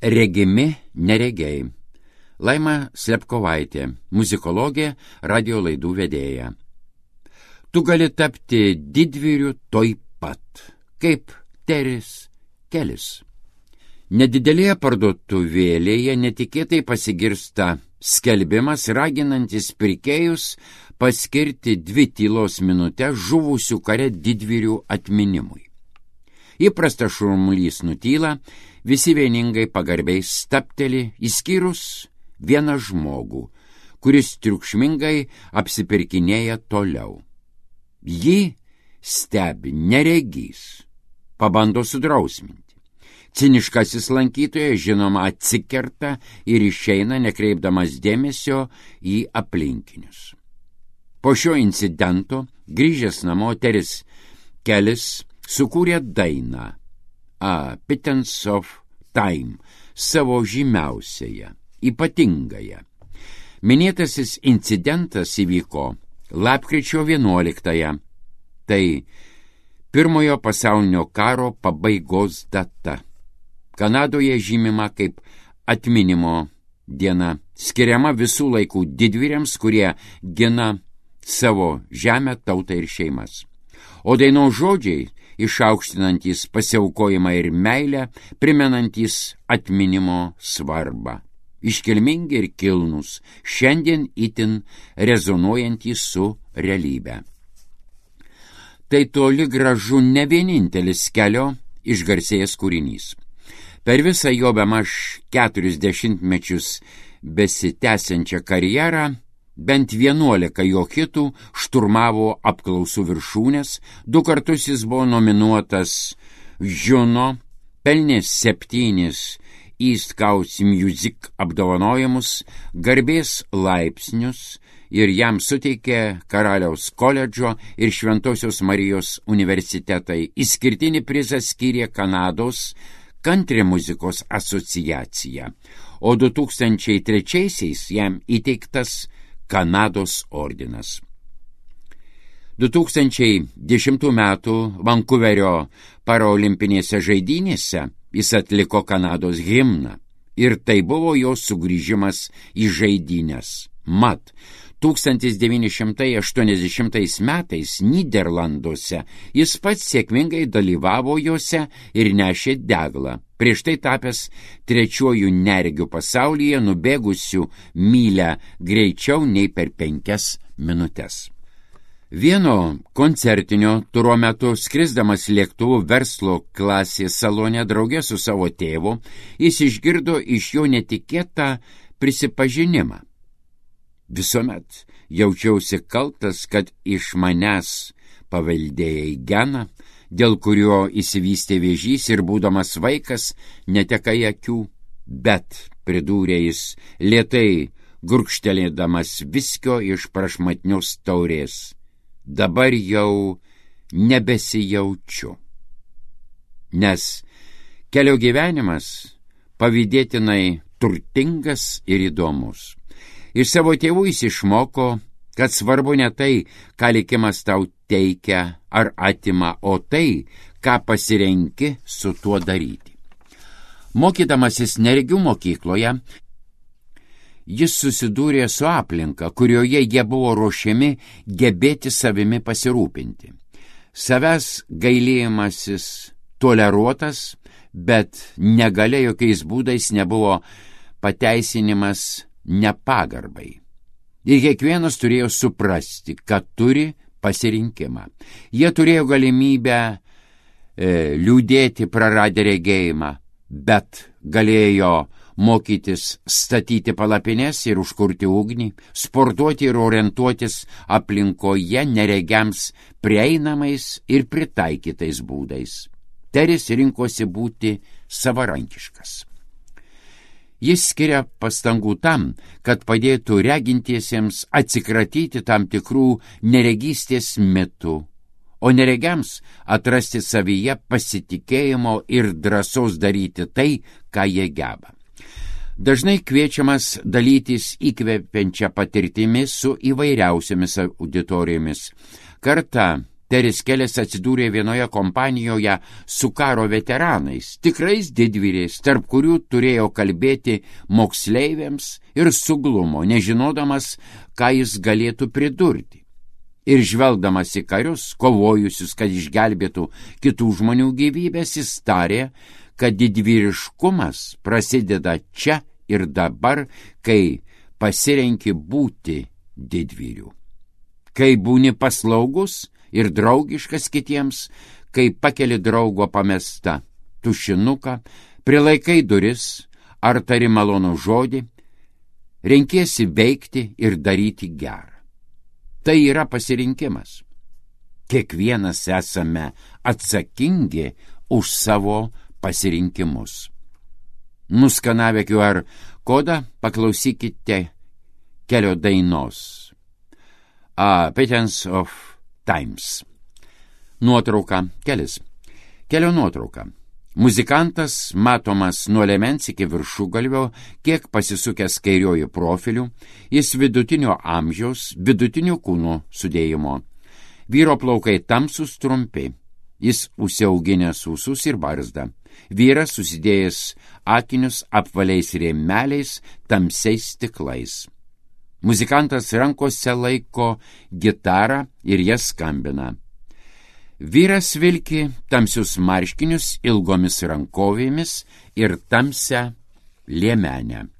Regimi neregiai. Laima Slepkovaitė, muzikologė, radio laidų vedėja. Tu gali tapti didvyriu toj pat, kaip Teris Kelis. Nedidelėje parduotuvėlėje netikėtai pasigirsta skelbimas, raginantis pirkėjus paskirti 2 tylos minutės žuvusių kare didvyrių atminimui. Įprastas šurmulys nutyla, visi vieningai pagarbiai stapteli, išskyrus vieną žmogų, kuris triukšmingai apsipirkinėja toliau. Jį stebi neregys, pabando sudrausminti. Ciniškasis lankytojas, žinoma, atsikerta ir išeina, nekreipdamas dėmesio į aplinkinius. Po šio incidento, grįžęs namo, Teris Kelis sukūrė dainą A Pittance of Time, savo žymiausiąją, ypatingąją. Minėtasis incidentas įvyko lapkričio 11-ąją. Tai Pirmojo pasaulinio karo pabaigos data. Kanadoje žymima kaip atminimo diena, skiriama visų laikų didvyriams, kurie gina savo žemę, tautą ir šeimas. O dainos žodžiai, išaukštinantys pasiaukojimą ir meilę, primenantys atminimo svarbą. Iškilmingi ir kilnūs, šiandien itin rezonuojantys su realybe. Tai toli gražu ne vienintelis Kelio išgarsėjęs kūrinys. Per visą jo bemaž 40 mečius besitęsiančią karjerą bent 11 jo hitų šturmavo apklausų viršūnes, 2 kartus jis buvo nominuotas Juno, pelnė 7 East Coast Music apdovanojimus, garbės laipsnius ir jam suteikė Karaliaus koledžo ir Šventosios Marijos universitetai. Išskirtinį prizą skyrė Kanados Country muzikos asociacija, o 2003-aisiais jam įteiktas Kanados ordinas. 2010 metų Vankuverio paraolimpinėse žaidynėse jis atliko Kanados himną ir tai buvo jo sugrįžimas į žaidynes. Mat, 1980 metais Nyderlanduose jis pats sėkmingai dalyvavo juose ir nešė deglą, prieš tai tapęs 3. neregiu pasaulyje, nubėgusiu mylę greičiau nei per 5 minutes. Vieno koncertinio turo metu, skrisdamas lėktuvu verslo klasės salone drauge su savo tėvu, jis išgirdo iš jo netikėtą prisipažinimą. Visuomet jaučiausi kaltas, kad iš manęs paveldėjai geną, dėl kurio įsivystė vėžys ir būdamas vaikas netekai akių, bet, pridūrė jis, lėtai gurkštelėdamas viskio iš prašmatnios taurės, dabar jau nebesijaučiu. Nes Kelio gyvenimas pavydėtinai turtingas ir įdomus. Iš savo tėvų jis išmoko, kad svarbu ne tai, ką likimas tau teikia ar atima, o tai, ką pasirenki su tuo daryti. Mokydamasis neregių mokykloje, jis susidūrė su aplinka, kurioje jie buvo ruošiami gebėti savimi pasirūpinti. Savęs gailėjimasis toleruotas, bet negalia jokiais būdais nebuvo pateisinimas nepagarbai. Ir kiekvienas turėjo suprasti, kad turi pasirinkimą. Jie turėjo galimybę liūdėti praradę regėjimą, bet galėjo mokytis statyti palapines ir užkurti ugnį, sportuoti ir orientuotis aplinkoje neregiams prieinamais ir pritaikytais būdais. Teris rinkosi būti savarankiškas. Jis skiria pastangų tam, kad padėtų regintiesiems atsikratyti tam tikrų neregystės mitų, o neregiams atrasti savyje pasitikėjimo ir drąsos daryti tai, ką jie geba. Dažnai kviečiamas dalytis įkvepiančią patirtimi su įvairiausiamis auditorijomis. Kartą Teris Kelis atsidūrė vienoje kompanijoje su karo veteranais, tikrais didvyriais, tarp kurių turėjo kalbėti moksleiviams ir suglumo, nežinodamas, ką jis galėtų pridurti. Ir žvelgdamas į karius, kovojusius, kad išgelbėtų kitų žmonių gyvybės, jis tarė, kad didvyriškumas prasideda čia ir dabar, kai pasirenki būti didvyriu. Kai būni paslaugus ir draugiškas kitiems, kai pakeli draugo pamestą tušinuką, prilaikai duris ar tari malonų žodį, renkiesi veikti ir daryti gerą. Tai yra pasirinkimas. Kiekvienas esame atsakingi už savo pasirinkimus. Nuskanavę QR kodą paklausykite Kelio dainos Patterns of Times. Nuotrauka Kelis. Kelio nuotrauka. Muzikantas matomas nuo liemens iki viršugalvio, kiek pasisukęs kairiuoju profiliu, jis vidutinio amžiaus, vidutinio kūno sudėjimo. Vyro plaukai tamsus trumpi, jis užsiauginęs ūsus ir barzdą. Vyras susidėjęs akinius apvaliais rėmeliais, tamsiais stiklais. Muzikantas rankose laiko gitarą ir jas skambina. Vyras vilki tamsius marškinius ilgomis rankovėmis ir tamsią liemenę.